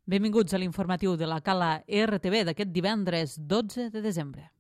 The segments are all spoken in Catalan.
Benvinguts a l'informatiu de la Cala RTV d'aquest divendres 12 de desembre.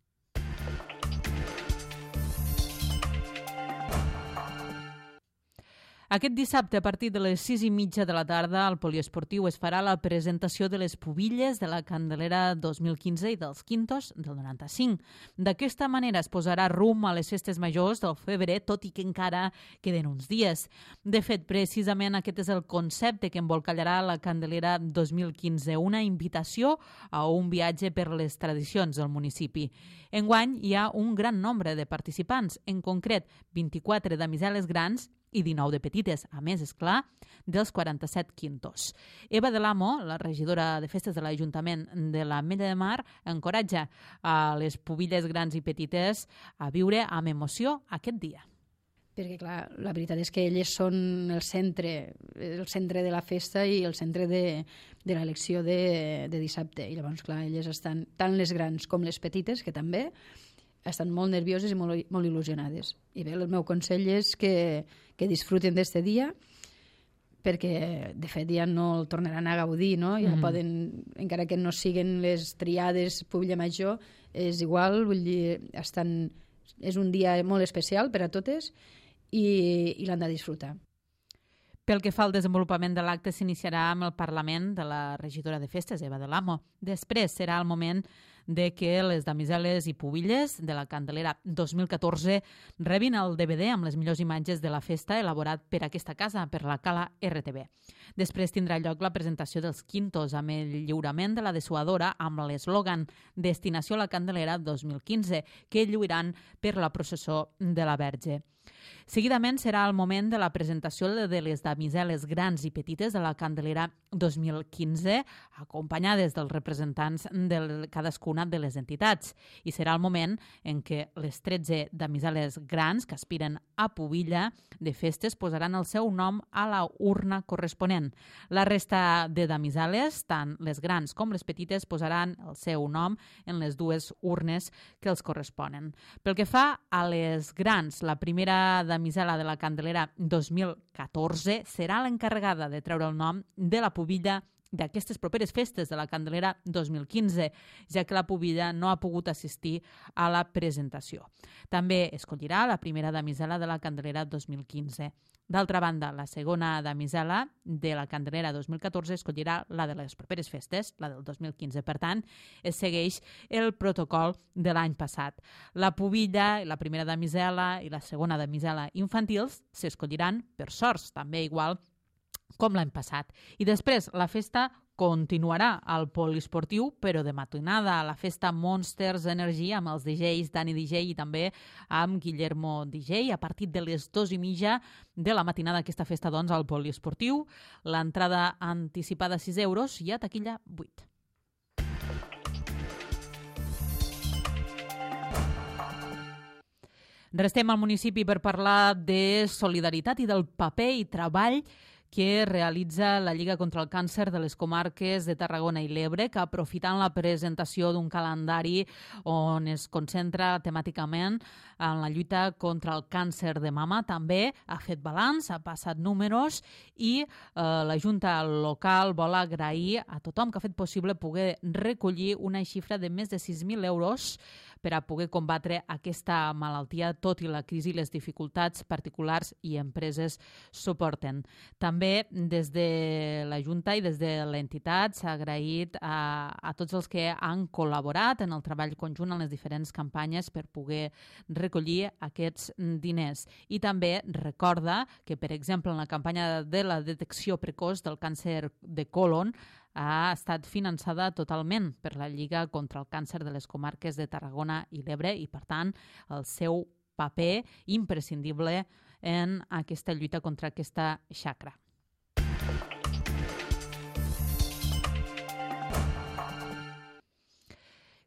Aquest dissabte, a partir de les 6:30 de la tarda, al poliesportiu es farà la presentació de les pubilles de la Candelera 2015 i dels quintos del 95. D'aquesta manera es posarà rumb a les festes majors del febrer, tot i que encara queden uns dies. De fet, precisament aquest és el concepte que embolcallarà la Candelera 2015, una invitació a un viatge per les tradicions del municipi. Enguany hi ha un gran nombre de participants, en concret 24 damiseles grans i 19 de petites, a més, és clar, dels 47 quintos. Eva de l'Amo, la regidora de festes de l'Ajuntament de l'Ametlla de Mar, encoratja a les pubilles grans i petites a viure amb emoció aquest dia. Perquè, clar, la veritat és que elles són el centre de la festa i el centre de l'elecció de dissabte. I llavors, clar, elles estan, tant les grans com les petites, que també, estan molt nervioses i molt il·lusionades. I bé, el meu consell és que disfruten d'este dia, perquè de fet ja no el tornaran a gaudir, no? Ja poden, encara que no siguen les triades pubilla major, és igual, vull dir, és un dia molt especial per a totes i l'han de disfrutar. Pel que fa al desenvolupament de l'acte, s'iniciarà amb el Parlament de la regidora de festes, Eva de l'Amo. Després serà el moment de que les damiseles i pubilles de la Candelera 2014 rebin el DVD amb les millors imatges de la festa elaborat per aquesta casa, per la Cala RTV. Després tindrà lloc la presentació dels quintos amb el lliurament de la dessuadora amb l'eslògan Destinació a la Candelera 2015, que lluiran per la processó de la Verge. Seguidament serà el moment de la presentació de les damiseles grans i petites de la Candelera 2015, acompanyades dels representants de cadascuna de les entitats. I serà el moment en què les 13 damiseles grans que aspiren a pubilla de festes posaran el seu nom a la urna corresponent. La resta de damiseles, tant les grans com les petites, posaran el seu nom en les dues urnes que els corresponen. Pel que fa a les grans, la primera damisela de la Candelera 2014 serà l'encarregada de treure el nom de la pubilla d'aquestes properes festes de la Candelera 2015, ja que la pubilla no ha pogut assistir a la presentació. També escollirà la primera damisela de la Candelera 2015. D'altra banda, la segona damisela de la Candelera 2014 escollirà la de les properes festes, la del 2015. Per tant, es segueix el protocol de l'any passat. La pubilla, la primera damisela i la segona damisela infantils s'escolliran per sorts, també igual com l'any passat. I després la festa continuarà al poliesportiu, però de matinada, a la festa Monsters Energy amb els DJs Dani DJ i també amb Guillermo DJ a partir de les 2:30 de la matinada. Aquesta festa, doncs, al poliesportiu. L'entrada anticipada 6 euros i a taquilla 8. Restem al municipi per parlar de solidaritat i del paper i treball que realitza la Lliga contra el Càncer de les comarques de Tarragona i l'Ebre, que aprofitant la presentació d'un calendari on es concentra temàticament en la lluita contra el càncer de mama, també ha fet balanç, ha passat números i la Junta local vol agrair a tothom que ha fet possible poder recollir una xifra de més de 6.000 euros per a poder combatre aquesta malaltia, tot i la crisi i les dificultats particulars i empreses suporten. També des de la Junta i des de l'entitat s'ha agraït a tots els que han col·laborat en el treball conjunt en les diferents campanyes per poder recollir aquests diners. I també recorda que, per exemple, en la campanya de la detecció precoç del càncer de còlon ha estat finançada totalment per la Lliga contra el Càncer de les comarques de Tarragona i l'Ebre i, per tant, el seu paper imprescindible en aquesta lluita contra aquesta xacra.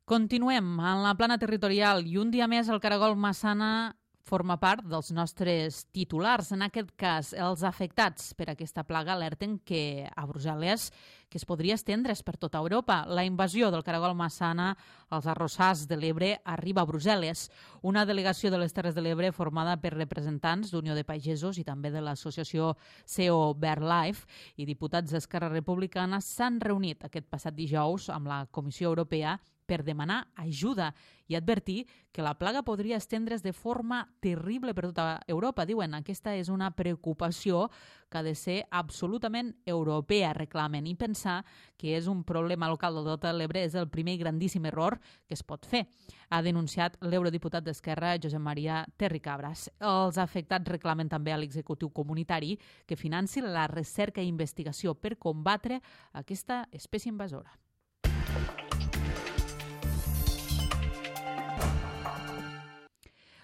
Continuem en la plana territorial i un dia més el Caragol Massana forma part dels nostres titulars. En aquest cas, els afectats per aquesta plaga alerten que a Brussel·les que es podria estendre's per tota Europa. La invasió del caragol massana als arrossars de l'Ebre arriba a Brussel·les. Una delegació de les Terres de l'Ebre formada per representants d'Unió de Pagesos i també de l'associació CEO BirdLife i diputats d'Esquerra Republicana s'han reunit aquest passat dijous amb la Comissió Europea per demanar ajuda i advertir que la plaga podria estendre's de forma terrible per tota Europa. Diuen, aquesta és una preocupació que ha de ser absolutament europea, reclamen, i pensar que és un problema local de tot l'Ebre és el primer i grandíssim error que es pot fer, ha denunciat l'eurodiputat d'Esquerra, Josep Maria Terricabras. Els afectats reclamen també a l'executiu comunitari que financi la recerca i investigació per combatre aquesta espècie invasora.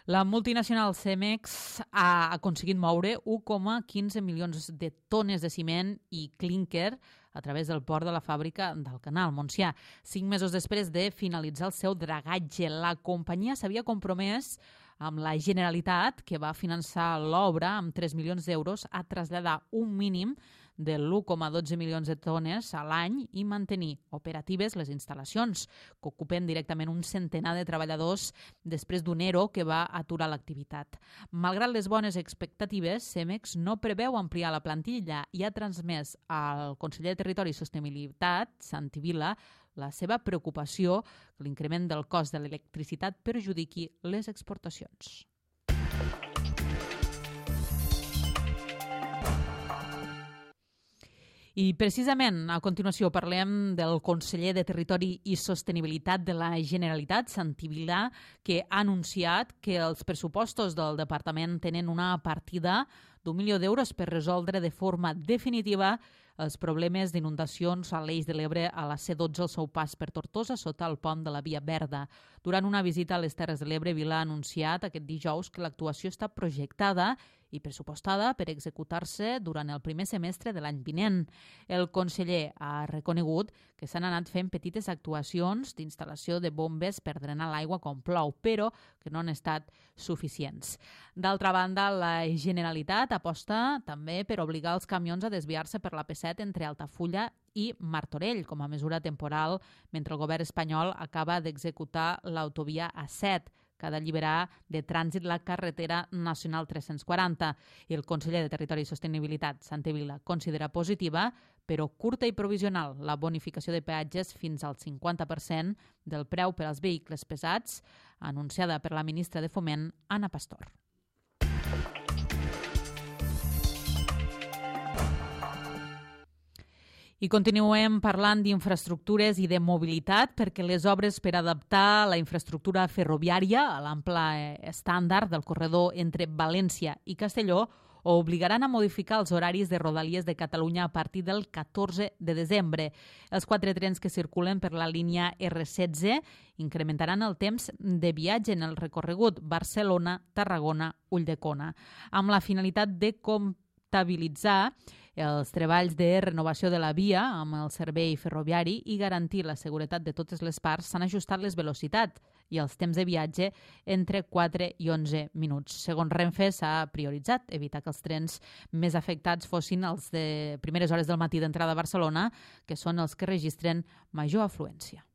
La multinacional Cemex ha aconseguit moure 1,15 milions de tones de ciment i clínquer a través del port de la fàbrica d'Alcanar, al Montsià. 5 mesos després de finalitzar el seu dragatge, la companyia s'havia compromès amb la Generalitat, que va finançar l'obra amb 3 milions d'euros, a traslladar un mínim de l'1,12 milions de tones a l'any i mantenir operatives les instal·lacions, que ocupen directament un centenar de treballadors després d'un ERO que va aturar l'activitat. Malgrat les bones expectatives, Cemex no preveu ampliar la plantilla i ha transmès al conseller de Territori i Sostenibilitat, Santi Vila, la seva preocupació que l'increment del cost de l'electricitat perjudiqui les exportacions. I precisament a continuació parlem del conseller de Territori i Sostenibilitat de la Generalitat, Santi Vila, que ha anunciat que els pressupostos del departament tenen una partida d'1 milió d'euros per resoldre de forma definitiva els problemes d'inundacions a l'Eix de l'Ebre a la C12 al seu pas per Tortosa sota el pont de la Via Verda. Durant una visita a les Terres de l'Ebre, Vila ha anunciat aquest dijous que l'actuació està projectada i pressupostada per executar-se durant el primer semestre de l'any vinent. El conseller ha reconegut que s'han anat fent petites actuacions d'instal·lació de bombes per drenar l'aigua quan plou, però que no han estat suficients. D'altra banda, la Generalitat aposta també per obligar els camions a desviar-se per la P7 entre Altafulla i Martorell com a mesura temporal mentre el govern espanyol acaba d'executar l'autovia A7, que ha d'alliberar de trànsit la carretera nacional 340. I el conseller de Territori i Sostenibilitat, Santi Vila, considera positiva, però curta i provisional, la bonificació de peatges fins al 50% del preu per als vehicles pesats, anunciada per la ministra de Foment, Ana Pastor. I continuem parlant d'infraestructures i de mobilitat perquè les obres per adaptar la infraestructura ferroviària a l'ample estàndard del corredor entre València i Castelló obligaran a modificar els horaris de Rodalies de Catalunya a partir del 14 de desembre. Els 4 trens que circulen per la línia R16 incrementaran el temps de viatge en el recorregut Barcelona-Tarragona-Ulldecona, amb la finalitat de comptabilitzar els treballs de renovació de la via amb el servei ferroviari i garantir la seguretat de totes les parts. S'han ajustat les velocitats i els temps de viatge entre 4 i 11 minuts. Segons Renfe, s'ha prioritzat evitar que els trens més afectats fossin els de primeres hores del matí d'entrada a Barcelona, que són els que registren major afluència.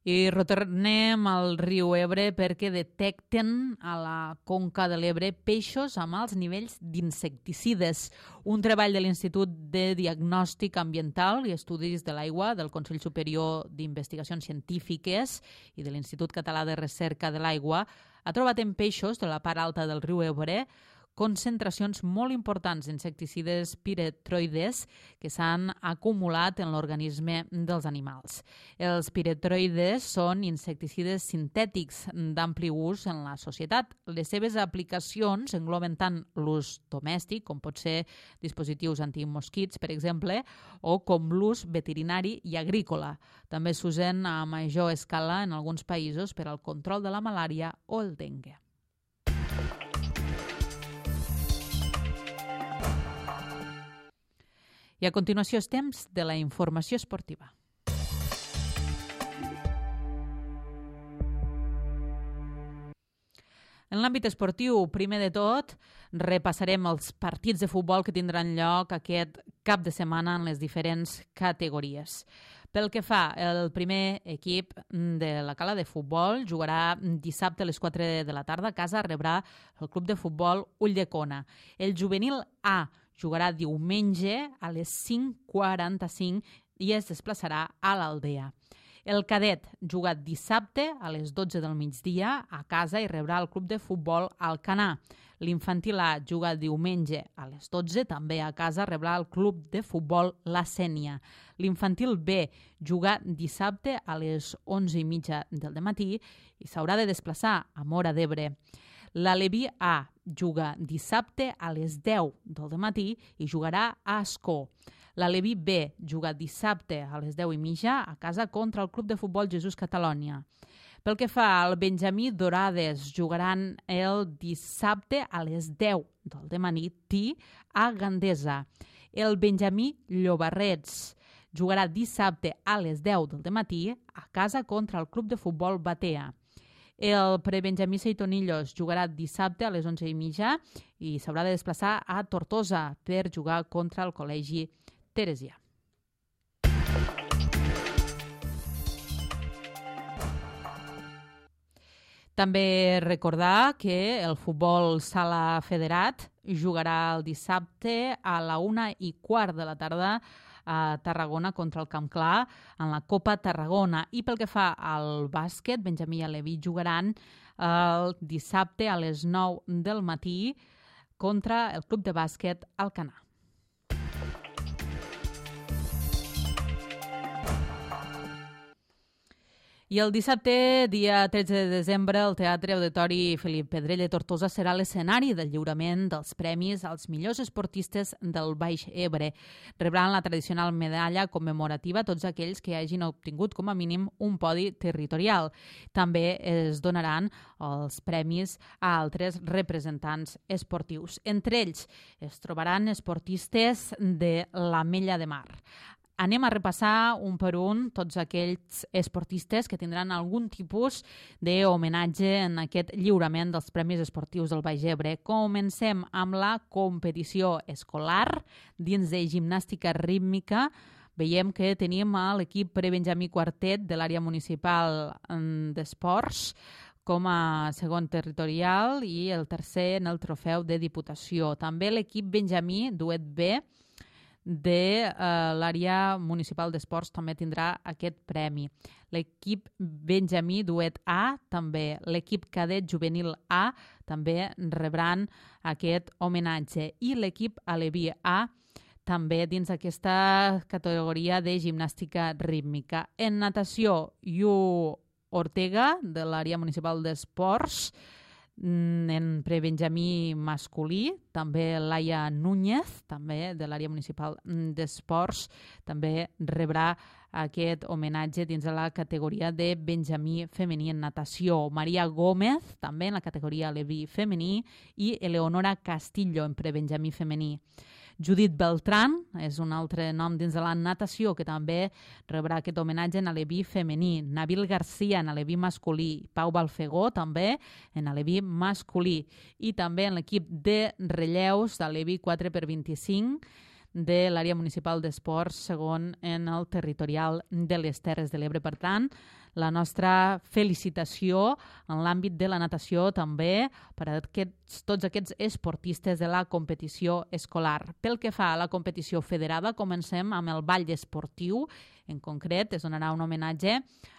I retornem al riu Ebre perquè detecten a la conca de l'Ebre peixos amb alts nivells d'insecticides. Un treball de l'Institut de Diagnòstic Ambiental i Estudis de l'Aigua del Consell Superior d'Investigacions Científiques i de l'Institut Català de Recerca de l'Aigua ha trobat en peixos de la part alta del riu Ebre concentracions molt importants d'insecticides piretroides que s'han acumulat en l'organisme dels animals. Els piretroides són insecticides sintètics d'ampli ús en la societat. Les seves aplicacions engloben tant l'ús domèstic, com pot ser dispositius antimosquits, per exemple, o com l'ús veterinari i agrícola. També s'usen a major escala en alguns països per al control de la malària o el dengue. I a continuació és temps de la informació esportiva. En l'àmbit esportiu, primer de tot, repassarem els partits de futbol que tindran lloc aquest cap de setmana en les diferents categories. Pel que fa, el primer equip de la Cala de Futbol jugarà dissabte a les 4 de la tarda a casa, rebrà el club de futbol Ulldecona. El juvenil A jugarà diumenge a les 5:45 i es desplaçarà a l'Aldea. El cadet juga dissabte a les 12 del migdia a casa i rebrà el club de futbol Alcanar. L'infantil A juga diumenge a les 12, també a casa rebrà el club de futbol La Sénia. L'infantil B juga dissabte a les 11:30 del matí i s'haurà de desplaçar a Móra d'Ebre. L'Aleví A juga dissabte a les 10 del matí i jugarà a Ascó. L'Aleví B juga dissabte a les 10:30 a casa contra el Club de Futbol Jesús Catalònia. Pel que fa al Benjamí Dorades, jugaran el dissabte a les 10 del matí a Gandesa. El Benjamí Llobarrets jugarà dissabte a les 10 del matí a casa contra el Club de Futbol Batea. El prebenjamí Seitonillos jugarà dissabte a les 11:30 i s'haurà de desplaçar a Tortosa per jugar contra el Col·legi Teresià. També recordar que el futbol sala federat jugarà el dissabte a la 1:15 de la tarda a Tarragona contra el Camp Clar en la Copa Tarragona. I pel que fa al bàsquet, Benjamí i Aleví jugaran el dissabte a les 9 del matí contra el club de bàsquet Alcanar. I el dissabte, dia 13 de desembre, el Teatre Auditori Felip Pedrell de Tortosa serà l'escenari del lliurament dels premis als millors esportistes del Baix Ebre. Rebran la tradicional medalla commemorativa tots aquells que hagin obtingut com a mínim un podi territorial. També es donaran els premis a altres representants esportius. Entre ells es trobaran esportistes de l'Ametlla de Mar. Anem a repassar un per un tots aquells esportistes que tindran algun tipus d'homenatge en aquest lliurament dels Premis Esportius del Baix Ebre. Comencem amb la competició escolar dins de gimnàstica rítmica. Veiem que tenim l'equip prebenjamí quartet de l'àrea municipal d'esports com a segon territorial i el tercer en el trofeu de Diputació. També l'equip benjamí duet B de l'àrea municipal d'esports també tindrà aquest premi. L'equip benjamí duet A, també l'equip cadet juvenil A, també rebran aquest homenatge. I l'equip aleví A, també dins aquesta categoria de gimnàstica rítmica. En natació, Iu Ortega, de l'àrea municipal d'esports, en prebenjamí masculí, també Laia Núñez, també de l'àrea municipal d'esports, també rebrà aquest homenatge dins de la categoria de benjamí femení en natació. Maria Gómez, també en la categoria aleví femení, i Eleonora Castillo, en prebenjamí femení. Judit Beltrán és un altre nom dins de la natació que també rebrà aquest homenatge en aleví femení. Nabil Garcia en aleví masculí. Pau Balfegó també en aleví masculí. I també en l'equip de relleus d'aleví 4x25 de l'àrea municipal d'esports segon en el territorial de les Terres de l'Ebre. Per tant, la nostra felicitació en l'àmbit de la natació també per a tots aquests esportistes de la competició escolar. Pel que fa a la competició federada, comencem amb el ball esportiu. En concret, es donarà un homenatge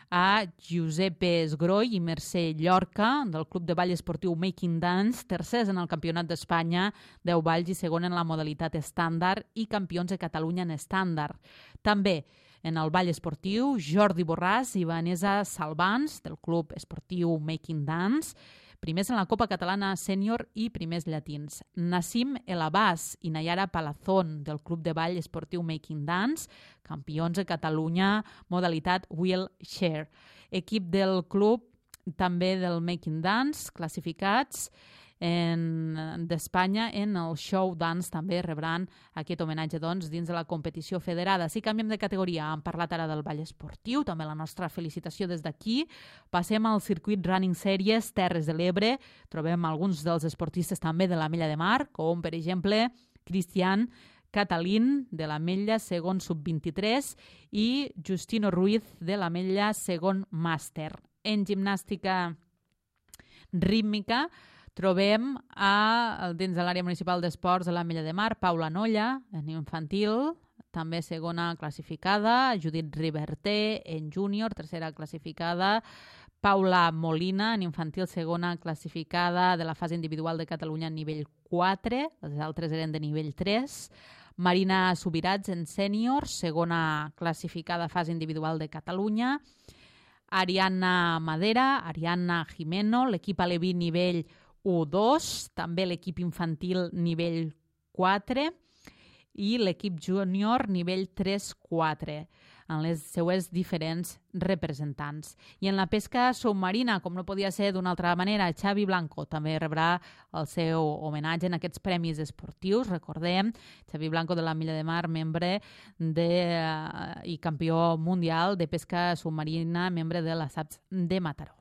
a Giuseppe Esgroi i Mercè Llorca, del Club de Ball Esportiu Making Dance, tercers en el Campionat d'Espanya, 10 balls i segon en la modalitat estàndard i campions de Catalunya en estàndard. També en el ball esportiu, Jordi Borràs i Vanessa Salvans, del Club Esportiu Making Dance, primers en la Copa Catalana Sènior i primers llatins. Nassim El Abbas i Nayara Palazón, del Club de Ball Esportiu Making Dance, campions de Catalunya, modalitat wheelchair. Equip del club també del Making Dance, classificats d'Espanya en el show dance també rebran aquest homenatge doncs, dins de la competició federada. Si canviem de categoria, hem parlat ara del ball esportiu, també la nostra felicitació des d'aquí. Passem al circuit Running Series Terres de l'Ebre. Trobem alguns dels esportistes també de l'Ametlla de Mar, com per exemple Cristian Catalín de l'Ametlla segon sub-23 i Justino Ruiz de l'Ametlla segon màster. En gimnàstica rítmica trobem dins de l'àrea municipal d'esports de l'Ametlla de Mar Paula Nolla, en infantil, també segona classificada, Judit Riverter en júnior, tercera classificada, Paula Molina, en infantil, segona classificada de la fase individual de Catalunya en nivell 4, les altres eren de nivell 3, Marina Subirats en sènior, segona classificada fase individual de Catalunya, Ariadna Madera, Ariadna Jimeno, l'equip aleví nivell 1-2, també l'equip infantil nivell 4 i l'equip júnior nivell 3-4 en les seues diferents representants. I en la pesca submarina, com no podia ser d'una altra manera, Xavi Blanco també rebrà el seu homenatge en aquests premis esportius. Recordem, Xavi Blanco de l'Ametlla de Mar, membre i campió mundial de pesca submarina, membre de la SAPS de Mataró.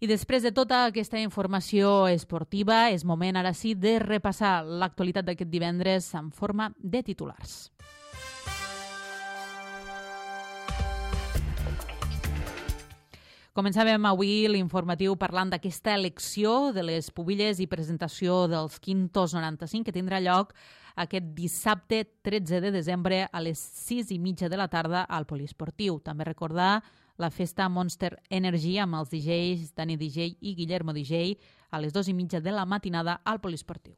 I després de tota aquesta informació esportiva, és moment ara sí de repassar l'actualitat d'aquest divendres en forma de titulars. Començàvem avui l'informatiu parlant d'aquesta elecció de les pubilles i presentació dels Quintos 95 que tindrà lloc aquest dissabte 13 de desembre a les 6:30 de la tarda al Poliesportiu. També recordar la festa Monster Energy amb els DJs Dani DJ i Guillermo DJ a les 2:30 de la matinada al Poliesportiu.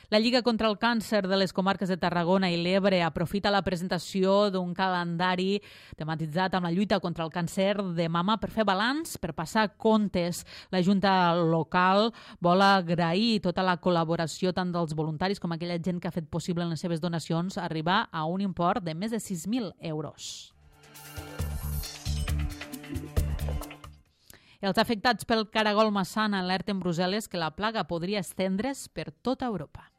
La Lliga contra el Càncer de les comarques de Tarragona i l'Ebre aprofita la presentació d'un calendari tematitzat amb la lluita contra el càncer de mama per fer balanç, per passar comptes. La Junta local vol agrair tota la col·laboració tant dels voluntaris com aquella gent que ha fet possible en les seves donacions arribar a un import de més de 6.000 euros. Els afectats pel caragol massana alerten Brussel·les que la plaga podria estendre's per tota Europa.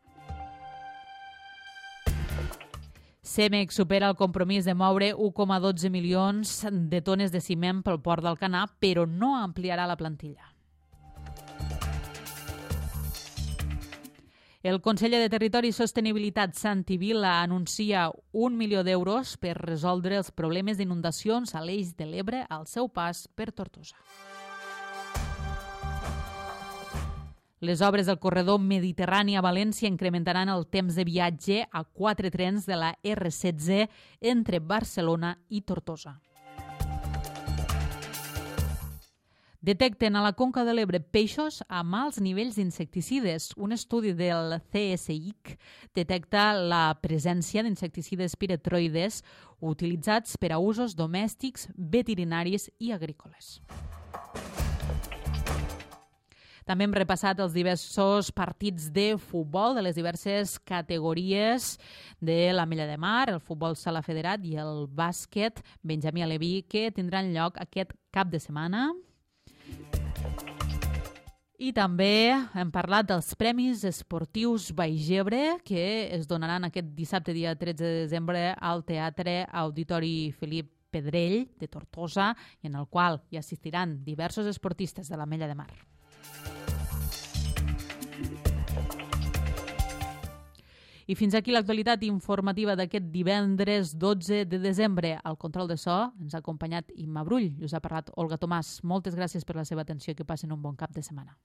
Cemex supera el compromís de moure 1,12 milions de tones de ciment pel port d'Alcanar, però no ampliarà la plantilla. El conseller de Territori i Sostenibilitat, Santi Vila, anuncia 1 milió d'euros per resoldre els problemes d'inundacions a l'Eix de l'Ebre al seu pas per Tortosa. Les obres del corredor mediterrani a València incrementaran el temps de viatge a 4 trens de la R16 entre Barcelona i Tortosa. Detecten a la Conca de l'Ebre peixos amb alts nivells d'insecticides. Un estudi del CSIC detecta la presència d'insecticides piretroides utilitzats per a usos domèstics, veterinaris i agrícoles. També hem repassat els diversos partits de futbol de les diverses categories de l'Ametlla de Mar, el futbol sala federat i el bàsquet Benjamí Aleví, que tindran lloc aquest cap de setmana. I també hem parlat dels Premis Esportius Baix-Ebre, que es donaran aquest dissabte, dia 13 de desembre, al Teatre Auditori Felip Pedrell de Tortosa, i en el qual hi assistiran diversos esportistes de l'Ametlla de Mar. I fins aquí l'actualitat informativa d'aquest divendres 12 de desembre. Al control de so ens ha acompanyat Imma Brull i us ha parlat Olga Tomàs. Moltes gràcies per la seva atenció i que passen un bon cap de setmana.